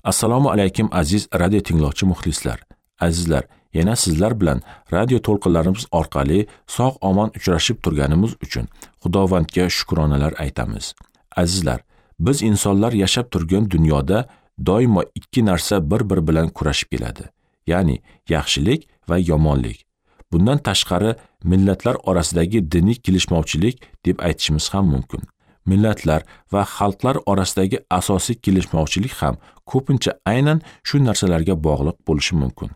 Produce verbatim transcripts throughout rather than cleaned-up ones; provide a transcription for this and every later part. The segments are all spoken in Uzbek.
Assalomu alaykum aziz radio tinglovchi muxlislar. Azizlar, yana sizlar bilan radio to'lqinlarimiz orqali sog' omon uchrashib turganimiz uchun Xudovandga shukronalar aytamiz. Azizlar, biz insonlar yashab turgan dunyoda doimo ikki narsa bir-biri bilan kurashib keladi. Ya'ni yaxshilik va yomonlik. Bundan tashqari millatlar orasidagi diniy kelishmovchilik deb aytishimiz ham mumkin. Millatlar va xalqlar orasidagi asosiy kelishmovchilik ham ko'pincha aynan shu narsalarga bog'liq bo'lishi mumkin.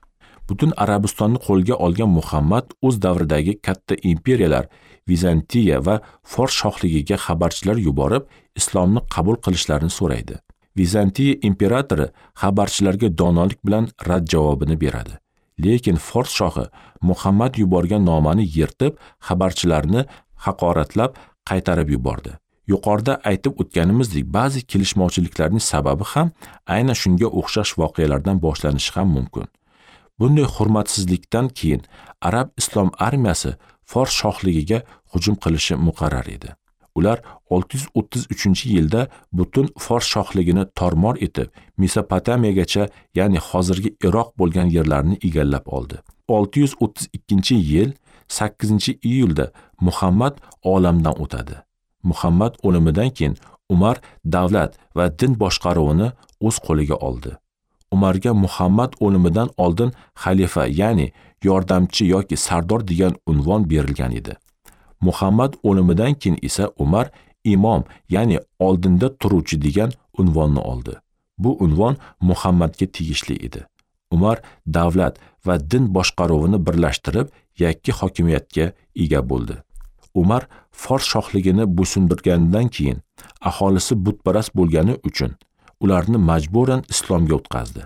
Butun Arabistonni qo'lga olgan Muhammad o'z davridagi katta imperiyalar Vizantiya va Fors shohligiga xabarchilar yuborib, islomni qabul qilishlarini so'raydi. Vizantiya imperatori xabarchilarga donolik bilan rad javobini beradi. Lekin Fors shohi Muhammad yuborgan nomani yirtib, xabarchilarni haqoratlab qaytarib yubordi. Yuqorida aytib o'tganimizdek, ba'zi kelishmovchiliklarning sababi ham aynan shunga o'xshash voqealardan boshlanishi ham mumkin. Bunday hurmatsizlikdan keyin arab islom armiyasi Fors shohligiga hujum qilishi muqarrar edi. Ular olti yuz o'ttiz uchinchi yilda butun Fors shohligini tormor etib, Mesopotamiyagacha, ya'ni hozirgi Iroq bo'lgan yerlarni egallab oldi. olti yuz o'ttiz ikkinchi yil sakkizinchi iyulda Muhammad olamdan o'tadi. Muhammad o'limidan keyin Umar davlat va din boshqaruvini o'z qo'liga oldi. Umarga Muhammad o'limidan oldin xalifa, ya'ni yordamchi yoki sardor degan unvon berilgan edi. Muhammad o'limidan keyin esa Umar imom, ya'ni oldinda turuvchi degan unvonni oldi. Bu unvon Muhammadga tegishli edi. Umar davlat va din boshqaruvini birlashtirib, yakka hokimiyatga ega bo'ldi. Umar Fors shohligini bo'ysundirganidan keyin aholisi butparast bo'lgani uchun ularni majburan islomga o'tkazdi.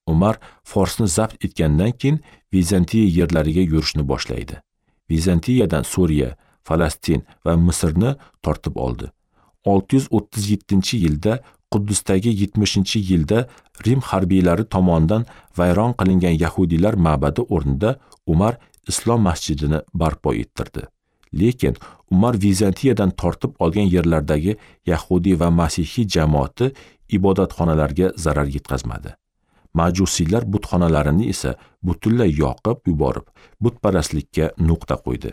Umar Forsni zabt etgandan keyin Vizantiya yerlariga yurishni boshlaydi. Vizantiyadan Suriya, Falastin va Misrni tortib oldi. olti yuz o'ttiz yettinchi yilda Quddusdagi yetmishinchi yilda Rim harbiylari tomonidan vayron qilingan yahudiylar ma'badi o'rnida Umar islom masjidini barpo ettirdi. Lekin Umar Vizantiyadan tortib olgan yerlardagi yahudiy va masihiy jamoati ibodatxonalarga zarar yetkazmadi. Majusiylar butxonalarini esa butunlay yoqib yuborib, butparastlikka nuqta qo'ydi.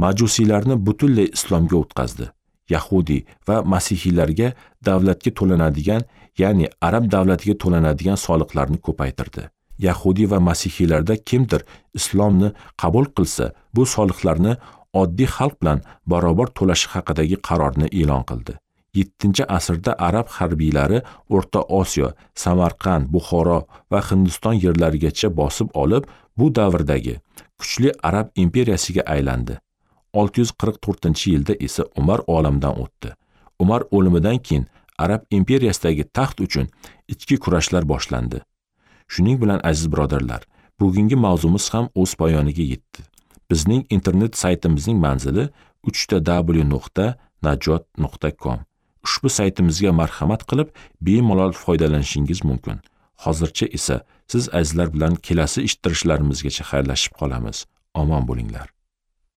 Majusiylarni butunlay islomga o'tkazdi. Yahudiy va masihiylarga davlatga to'lanadigan, ya'ni arab davlatiga to'lanadigan soliqlarni ko'paytirdi. Yahudiy va masihiylarda kimdir islomni qabul qilsa, bu soliqlarni oddiy xalq bilan barobar to'lashi haqidagi qarorni e'lon qildi. yettinchi asrda arab harbiylari O'rta Osiyo, Samarqand, Buxoro va Hindiston yerlarigacha bosib olib, bu davrdagi kuchli arab imperiyasiga aylandi. olti yuz qirq to'rtinchi yilda esa Umar olamdan o'tdi. Umar o'limidan keyin arab imperiyasidagi taxt uchun ichki kurashlar boshlandi. Shuning bilan aziz birodarlar, bugungi mavzumiz ham o'z poyoniga yetdi. Bizning internet saytimizning manzili uch ta w nuqta najot nuqta com. Ushbu saytimizga marhamat qilib, bemalol foydalanishingiz mumkin. Hozircha esa siz azizlar bilan kelasi eshittirishlarimizgacha xayrlashib qolamiz. Omon bo'linglar.